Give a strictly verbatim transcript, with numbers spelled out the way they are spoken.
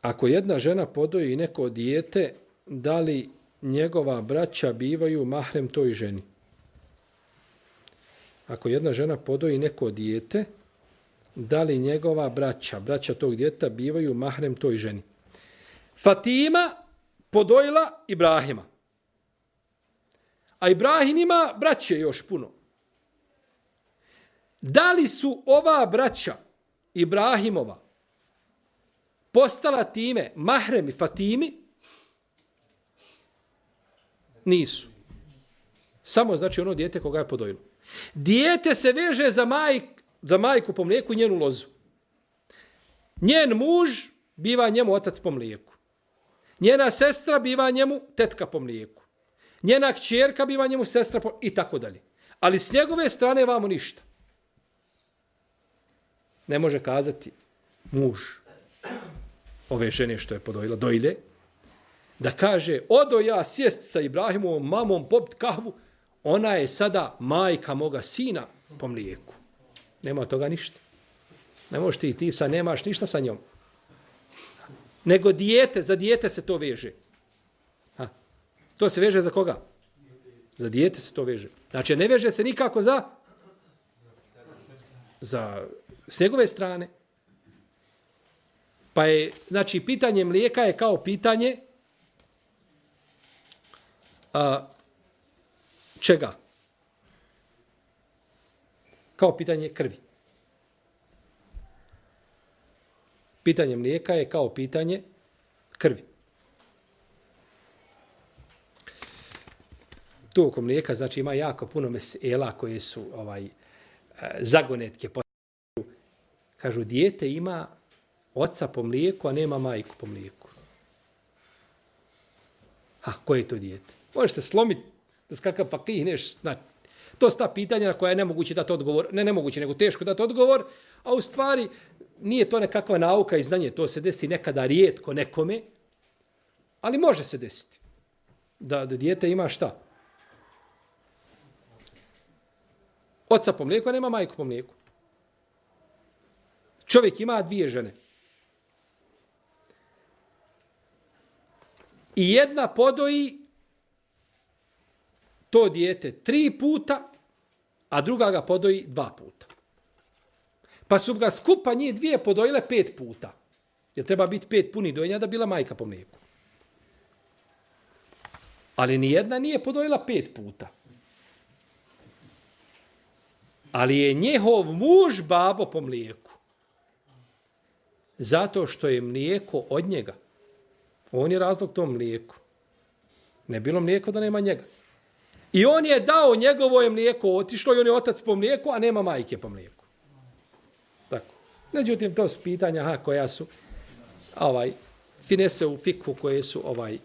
ako jedna žena podoji neko dijete, da li njegova braća bivaju mahrem toj ženi? Ako jedna žena podoji neko dijete, da li njegova braća, braća tog djeteta bivaju mahrem toj ženi? Fatima podojila Ibrahima. A Ibrahim ima braće još puno. Da li su ova braća Ibrahimova postala time mahremi Fatimi? Nisu. Samo znači ono dijete koga je podojilo. Dijete se veže za, majk, za majku po mlijeku i njenu lozu. Njen muž biva njemu otac po mlijeku. Njena sestra biva njemu tetka po mlijeku. Njena kćerka biva njemu sestra po... i tako dalje. Ali s njegove strane vamo ništa. Ne može kazati muž ove žene što je podojila, dojilje, da kaže, odo ja sjest sa Ibrahimovom mamom popit kahvu, ona je sada majka moga sina po mlijeku. Nema toga ništa. Ne možeš ti, ti sa nemaš ništa sa njom. Nego dijete, za dijete se to veže. Ha. To se veže za koga? Za dijete se to veže. Znači, ne veže se nikako za za s njegove strane. Pa je, znači, pitanje mlijeka je kao pitanje a, čega? Kao pitanje krvi. Pitanje mlijeka je kao pitanje krvi. Tu oko mlijeka, znači, ima jako puno mesela koje su ovaj zagonetke. Kažu, dijete ima oca po mlijeku, a nema majku po mlijeku. Ha, koje je to dijete? Možeš se slomiti, da skakav fakihneš. Znači, to su ta pitanja na koja je nemoguće dati odgovor. Ne nemoguće, nego teško dati odgovor. A u stvari, nije to nekakva nauka i znanje. To se desi nekada rijetko nekome. Ali može se desiti. Da, da dijete ima šta? Oca po mlijeku, a nema majku po mlijeku. Čovjek ima dvije žene. I jedna podoji to dijete tri puta, a druga ga podoji dva puta. Pa su ga skupa njih dvije podojile pet puta. Jer treba biti pet puni dojenja da bila majka po mlijeku. Ali nijedna nije podojila pet puta. Ali je njehov muž babo po mlijeku. Zato što je mlijeko od njega. On je razlog tom mlijeku. Ne bilo mlijeko da nema njega. I on je dao njegovo je mlijeko otišlo i on je otac po mlijeku, a nema majke po mlijeku. Tako. Međutim, to su pitanja ha, koja su ovaj, finese u fikhu koje su ovaj